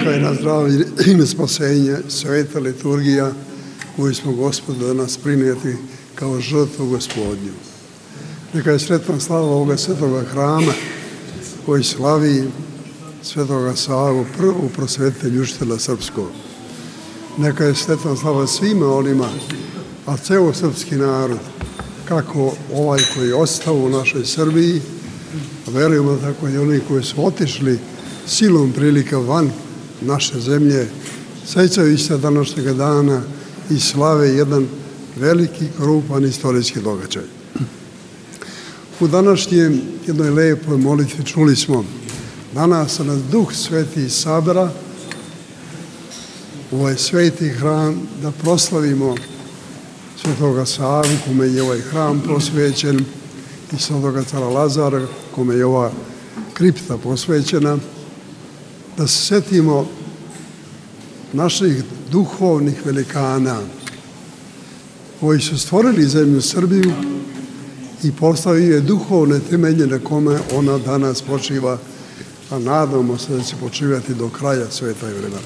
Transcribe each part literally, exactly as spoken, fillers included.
neka je na zdravlje i spasenje sveta liturgija koju smo Gospodu danas prinijeti kao žrtvu Gospodnju. Neka je sretna slava ovoga svetoga hrama koji slavi svetoga Savu, prvu prosvetitelj učitelja srpskog. Neka je sretna slava svima onima, a ceo srpski narod, kako ovaj koji je ostao u našoj Srbiji, a verujemo tako i oni koji su otišli silom prilika van naše zemlje, sećajući se današnjeg dana i slave jedan veliki, krupan istorijski događaj. U današnjem jednoj lepoj molitvi čuli smo: danas nas Duh Sveti sabera u ovaj sveti hram da proslavimo svetoga Savu, kome je ovaj hram posvećen, i svetoga cara Lazara, kome je ova kripta posvećena, da se setimo naših duhovnih velikana koji su stvorili zemlju Srbiju i postavili je duhovne temelje na kome ona danas počiva, a nadamo se da će počivati do kraja sveta i vremena.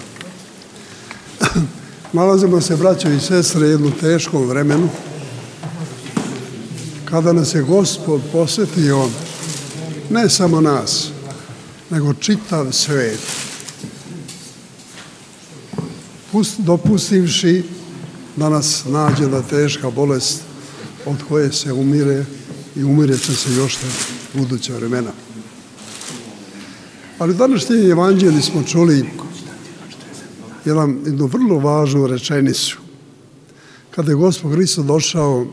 Nalazimo se, braćo i sestre, u jednom teškom vremenu kada nas je Gospod posvetio ne samo nas, nego čitav svet, dopustivši da nas nađe da teška bolest od koje se umire i umire će se još u buduća vremena. Ali u današnjem evanđelju smo čuli jednu vrlo važnu rečenicu. Kada je Gospod Hristos došao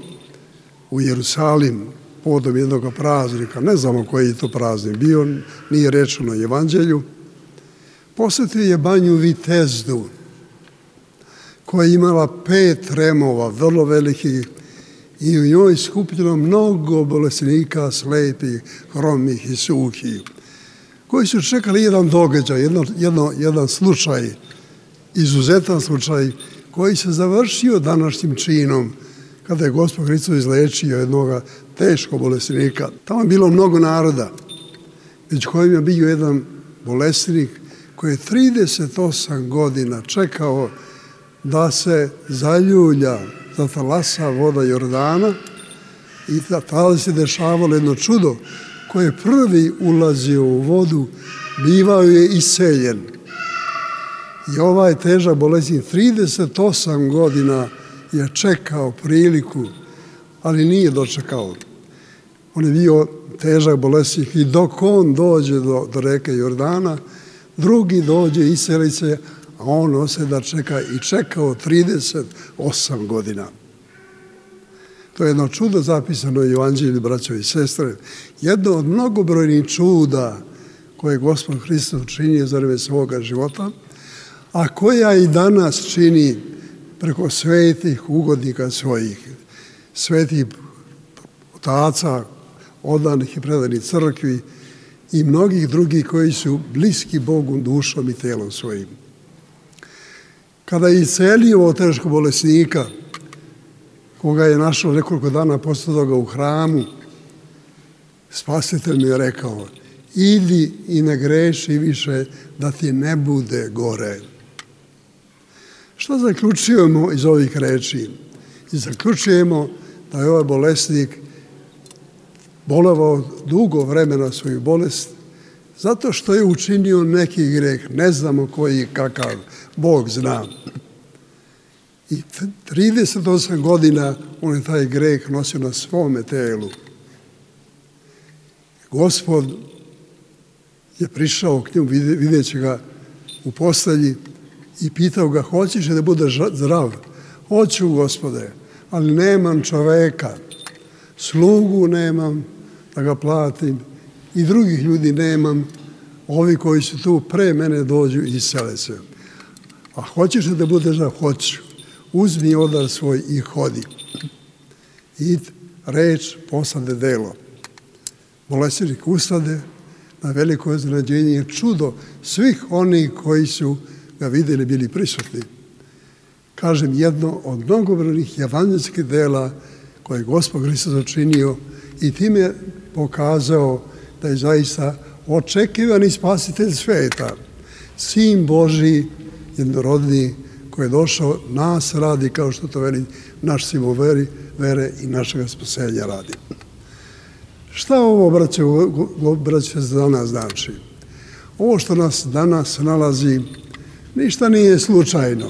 u Jerusalim povodom jednog praznika, ne znamo koji je to praznik bio, nije rečeno u evanđelju, posvetio je banju Vitezdu, koja je imala pet remova, vrlo velikih, i u njoj skupljeno mnogo bolesnika, slepih, hromih i suhih, koji su čekali jedan događaj, jedno, jedno, jedan slučaj, izuzetan slučaj, koji se završio današnjim činom, kada je Gospod Hristos izlečio jednog teškog bolesnika. Tamo je bilo mnogo naroda, među kojim je bio jedan bolesnik koji je trideset osam godina čekao da se zaljulja, zatalasa voda Jordana, i tada se dešavalo jedno čudo: koji je prvi ulazio u vodu, bivao je iseljen. I ovaj težak bolesnik trideset osam godina je čekao priliku, ali nije dočekao. On je bio težak bolesnik i dok on dođe do, do reke Jordana, drugi dođe, iseli se, a on ostaje da čeka i čekao trideset osam godina. To je jedno čudo zapisano u evanđelju, braćo i sestre. Jedno od mnogobrojnih čuda koje je Gospod Hristos činio za vreme svoga života, a koja i danas čini preko svetih ugodnika svojih, svetih otaca, odanih i predanih crkvi i mnogih drugih koji su bliski Bogu dušom i telom svojim. Kada je iscelio ovog teškog bolesnika, koga je našao nekoliko dana posle toga u hramu, Spasitelj mi je rekao: idi i ne greši više, da ti ne bude gore. Šta zaključujemo iz ovih reči? I zaključujemo da je ovaj bolesnik bolevao dugo vremena svoju bolest zato što je učinio neki greh, ne znamo koji i kakav, Bog zna. I trideset osam godina on je taj greh nosio na svome telu. Gospod je prišao k njemu videći ga u postelji i pitao ga: hoćeš da budeš zdrav? Hoću, Gospode, ali nemam čoveka, slugu nemam da ga platim i drugih ljudi nemam, ovi koji su tu pre mene dođu i isele se. A hoćeš da budeš zdrav? Hoću. Uzmi odar svoj i hodi. I reč posade delo. Bolesnik ustade, na veliko iznenađenje i čudo svih onih koji su ga videli, bili prisutni. Kažem, jedno od mnogobrojnih evanđelskih dela koje je Gospod Hristos učinio i time pokazao da je zaista očekivani spasitelj sveta. Sin Božji, jednorodni, koji je došao nas radi, kao što to veli naš simbol veri, vere i našega spasenja radi. Šta ovo, braće, braće, za nas znači? Ovo što nas danas nalazi, ništa nije slučajno.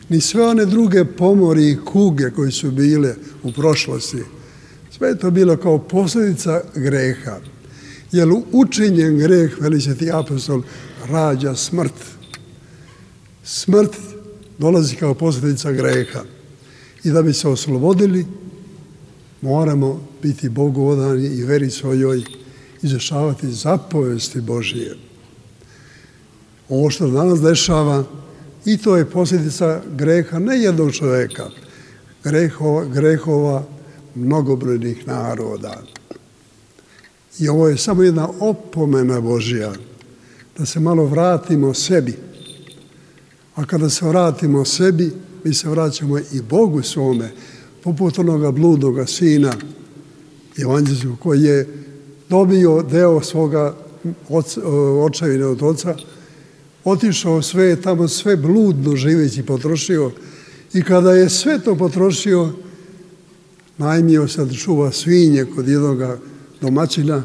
Ni sve one druge pomori i kuge koje su bile u prošlosti, sve je to bilo kao posljedica greha. Jer učinjen greh, veli Sveti apostol, rađa smrt. Smrt dolazi kao posljedica greha. I da bi se oslobodili, moramo biti Bogu odani i veri svojoj, izvršavati zapovesti Božije. Ovo što danas dešava, i to je posljedica greha ne jednog čovjeka, grehova, grehova mnogobrojnih naroda. I ovo je samo jedna opomena Božja, da se malo vratimo sebi. A kada se vratimo sebi, mi se vraćamo i Bogu svome, poput onoga bludnoga sina evanđelskog koji je dobio deo svoga očevine od oca, otišao sve, tamo sve bludno živeći potrošio i kada je sve to potrošio, najmio se da čuva svinje kod jednoga domaćina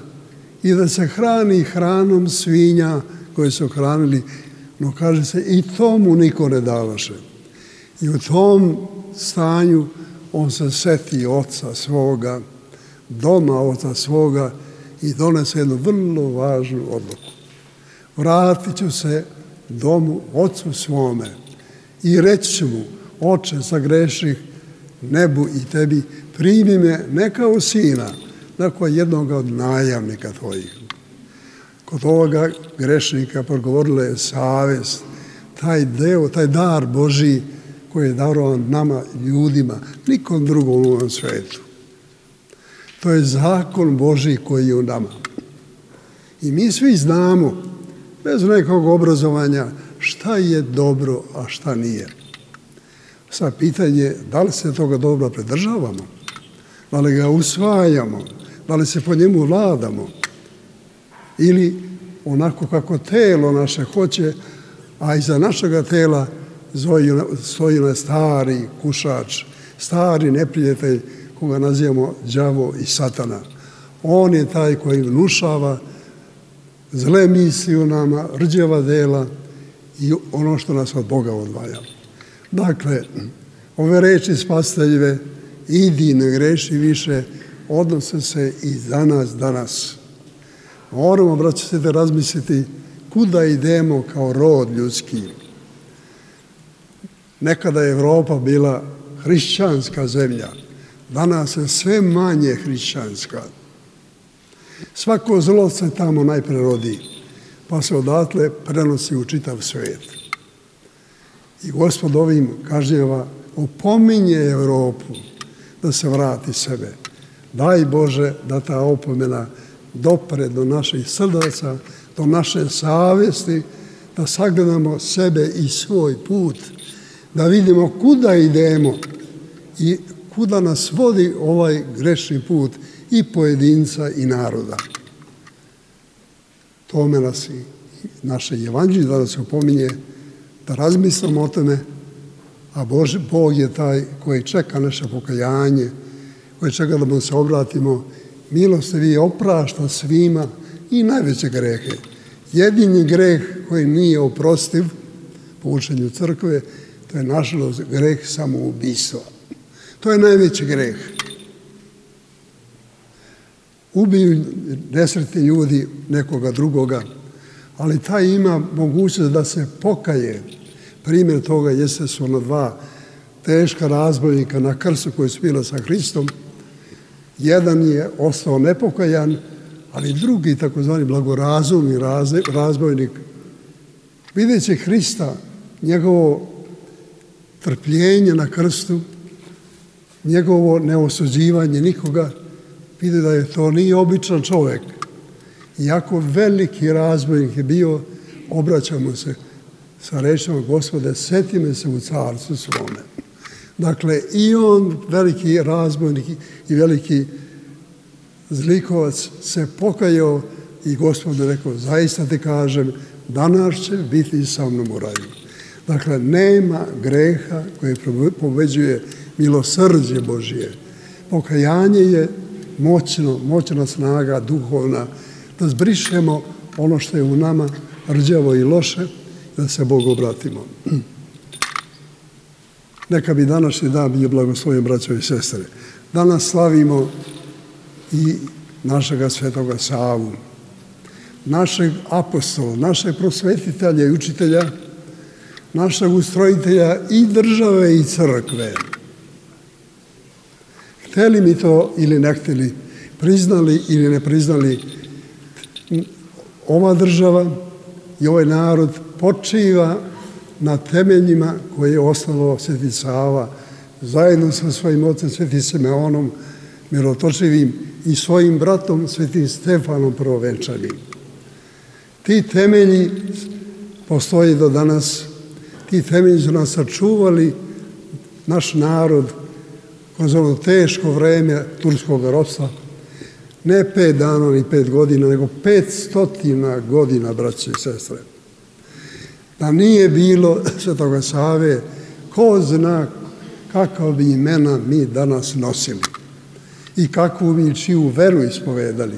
i da se hrani hranom svinja koje su hranili, no kaže se i tomu niko ne davaše. I u tom stanju on se seti oca svoga, doma oca svoga i donese jednu vrlo važnu odluku. Vratit ću se domu ocu svome i reći ću mu, oče, zagreših nebu i tebi, primi me ne kao sina, nego jednoga od najamnika tvojih. Kod ovoga grešnika progovorila je savest, taj deo, taj dar Božji koji je darovan nama, ljudima, nikom drugom u ovom svetu. To je zakon Božji koji je u nama. I mi svi znamo, bez nekog obrazovanja, šta je dobro, a šta nije. Sad pitanje je da li se toga dobro pridržavamo, da li ga usvajamo, da li se po njemu vladamo ili onako kako telo naše hoće, a iza našega tela stoji na stari kušač, stari neprijatelj koga nazivamo đavo i satana. On je taj koji vnušava zle misli u nama, rđeva dela i ono što nas od Boga odvaja. Dakle, ove reči spasiteljive, idi, ne greši više, odnose se i za nas danas. Moramo, braće se, da razmisliti kuda idemo kao rod ljudski. Nekada je Evropa bila hrišćanska zemlja, danas je sve manje hrišćanska. Svako zlo se tamo najpre rodi, pa se odatle prenosi u čitav svijet. I Gospod ovim kažnjava, opominje Evropu da se vrati sebe. Daj Bože da ta opomena dopre do naših srdaca, do naše savjesti, da sagledamo sebe i svoj put, da vidimo kuda idemo i kuda nas vodi ovaj grešni put i pojedinca i naroda. Tome nas i naše evanđelje da nas opominje, da razmislimo o tome, a Bože, Bog je taj koji čeka naše pokajanje, koji čeka da mu se obratimo, milostivi oprašta svima i najveće grehe. Jedini greh koji nije oprostiv po učenju crkve, to je nažalost greh samoubistva. To je najveći greh. Ubiju nesretni ljudi nekoga drugoga, ali taj ima mogućnost da se pokaje. Primjer toga jeste su ona dva teška razbojnika na krstu koji su bila sa Hristom. Jedan je ostao nepokajan, ali drugi, takozvani blagorazumni razbojnik, videći Hrista, njegovo trpljenje na krstu, njegovo neosuđivanje nikoga, vidi da je to nije običan čovjek. Iako veliki razbojnik je bio, obraća mu se sa rečima, Gospode, seti me se u carstvu svome. Dakle, i on, veliki razbojnik i veliki zlikovac, se pokajao i Gospod je rekao, zaista ti kažem, danas će biti sa mnom u raju. Dakle, nema greha koje pobeđuje milosrđe Božije. Pokajanje je moćno, moćna snaga duhovna, da zbrišemo ono što je u nama rđavo i loše, da se Bogu obratimo. Neka bi današnji dan bio blagoslovljen, braćo i sestre. Danas slavimo i našega svetoga Savu, našeg apostola, našeg prosvetitelja i učitelja, našeg ustrojitelja i države i crkve. Hteli mi to ili ne hteli, priznali ili ne priznali, ova država i ovaj narod počiva na temeljima koje je osnovao Sveti Sava zajedno sa svojim ocem Svetim Simeonom Mirotočivim i svojim bratom Svetim Stefanom Prvovenčanim. Ti temelji postoje do danas, ti temelji su nas sačuvali naš narod kroz ono teško vreme turskog ropstva, ne pet dana ni pet godina, nego pet stotina godina, braće i sestre. Da nije bilo Svetoga Save, ko zna kakva bi imena mi danas nosili i kakvu mi čiju veru ispovedali.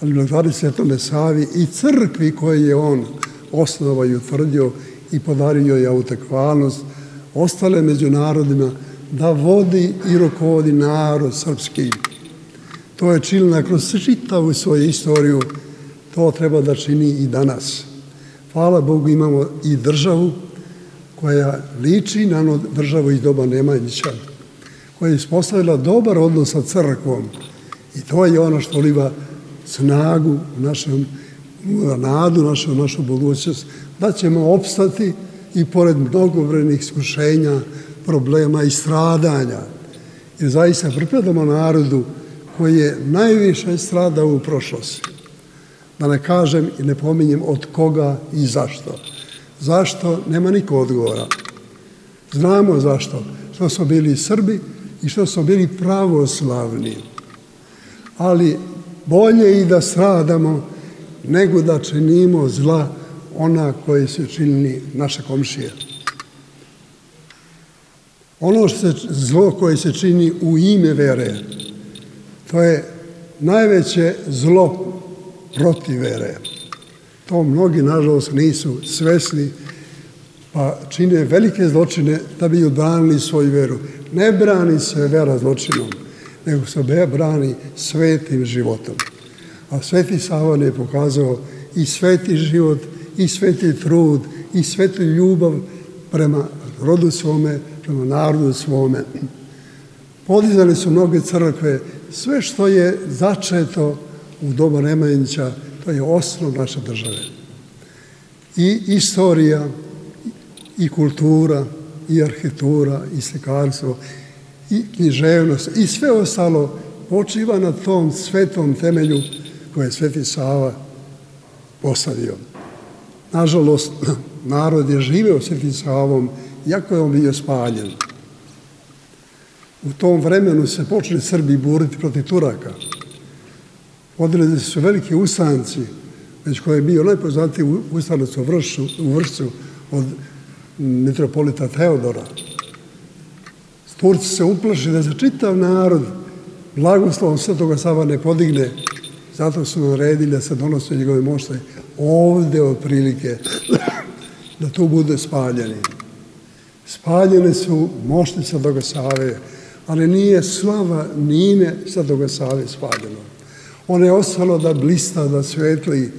Ali blagodari Svetome Savi i crkvi koju je on osnovao i utvrdio i podario je autekvalnost, ostale među narodima da vodi i rukovodi narod srpski. To je činila kroz čitavu svoju istoriju, to treba da čini i danas. Hvala Bogu, imamo i državu koja liči na državu iz doba Nemanjića, koja je ispostavila dobar odnos sa crkvom i to je ono što liva snagu, našem, nadu, našu, našu budućnost, da ćemo opstati i pored mnogobrojnih iskušenja, problema i stradanja. Jer zaista pripadamo narodu koji je najviše stradao u prošlosti. Da ne kažem i ne pominjem od koga i zašto. Zašto? Nema niko odgovora. Znamo zašto. Što smo bili Srbi i što smo bili pravoslavni. Ali bolje i da stradamo nego da činimo zla ona koje su činili naše komšije. Ono što se, zlo koje se čini u ime vere, to je najveće zlo protiv vere. To mnogi, nažalost, nisu svesni, pa čine velike zločine da bi odbranili svoju veru. Ne brani se vera zločinom, nego se brani svetim životom. A Sveti Sava je pokazao i sveti život, i sveti trud, i svetu ljubav prema rodu svome, prema narodu svome. Podizali su mnoge crkve, sve što je začeto u doba Nemanjića, to je osnov naše države. I istorija, i kultura, i arhitektura, i slikarstvo, i književnost, i sve ostalo počiva na tom svetom temelju koje je Sveti Sava postavio. Nažalost, narod je živeo Svetim Savom, iako je on bio spaljen. U tom vremenu se počeli Srbi buriti protiv Turaka. Vodili su veliki ustanci, već koji je bio najpoznatiji ustanac u Vršcu od mitropolita Teodora. Turci se uplašili da se čitav narod blagoslovom Svetoga Sava ne podigne, zato su naredili da se donose njegove mošte ovde otprilike, da tu bude spaljeni. Spaljene su mošte Svetoga Save, ali nije slava ni ime Svetoga Save spaljeno. Ono je ostalo da blista, da svetli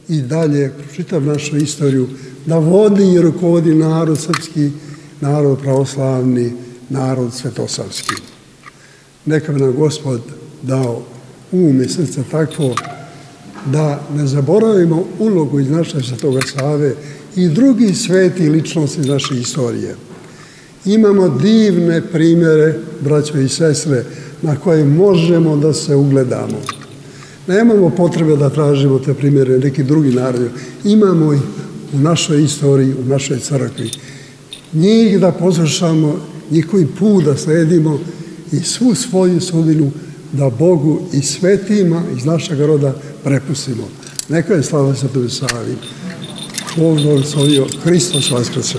i dalje, čitav našu istoriju, da vodi i rukovodi narod srpski, narod pravoslavni, narod svetosavski. Neka bi nam Gospod dao um i srce takvo da ne zaboravimo ulogu iz naše Svetoga Save i drugih sveti ličnosti iz naše istorije. Imamo divne primjere, braćo i sestre, na koje možemo da se ugledamo. Nemamo potrebe da tražimo te primjere neki drugi narodi. Imamo ih u našoj istoriji, u našoj crkvi. Njih da poslušamo, njihovi put da sledimo i svu svoju sudbinu da Bogu i svetima iz našeg roda prepustimo. Neka je slava Svetoj Savi. Bog blagoslovio, Hristos vaskrse.